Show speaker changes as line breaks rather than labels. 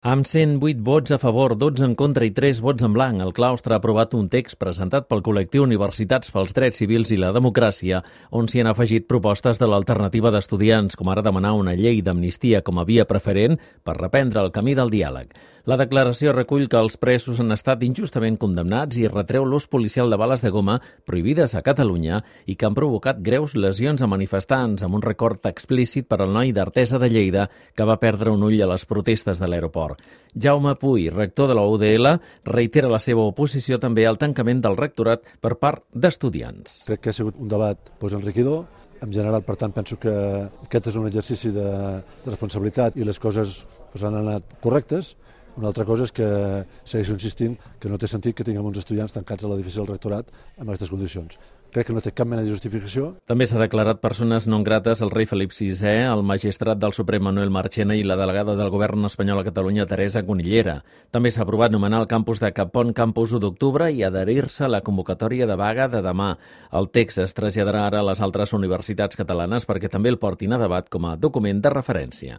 Amb 108 vots a favor, 12 en contra i 3 vots en blanc, el claustre ha aprovat un text presentat pel col·lectiu Universitats pels Drets Civils i la Democràcia, on s'hi han afegit propostes de l'alternativa d'estudiants, com ara demanar una llei d'amnistia com a via preferent per reprendre el camí del diàleg. La declaració recull que els presos han estat injustament condemnats i retreu l'ús policial de bales de goma prohibides a Catalunya i que han provocat greus lesions a manifestants, amb un record explícit per al noi d'Artesa de Lleida que va perdre un ull a les protestes de l'aeroport. Jaume Puy, rector de la UDL, reitera la seva oposició també al tancament del rectorat per part d'estudiants.
Crec que ha sigut un debat enriquidor. En general, per tant, penso que aquest és un exercici de responsabilitat i les coses han anat correctes. Una altra cosa és que segueixo insistint que no té sentit que tinguem uns estudiants tancats a l'edifici del rectorat en aquestes condicions. Crec que no té cap mena de justificació.
També s'ha declarat persones non grates el rei Felip VI, el magistrat del Suprem Manuel Marchena i la delegada del govern espanyol a Catalunya Teresa Conillera. També s'ha aprovat nomenar el campus de Cap Pont campus 1 d'octubre i adherir-se a la convocatòria de vaga de demà. El text es traslladarà ara a les altres universitats catalanes perquè també el portin a debat com a document de referència.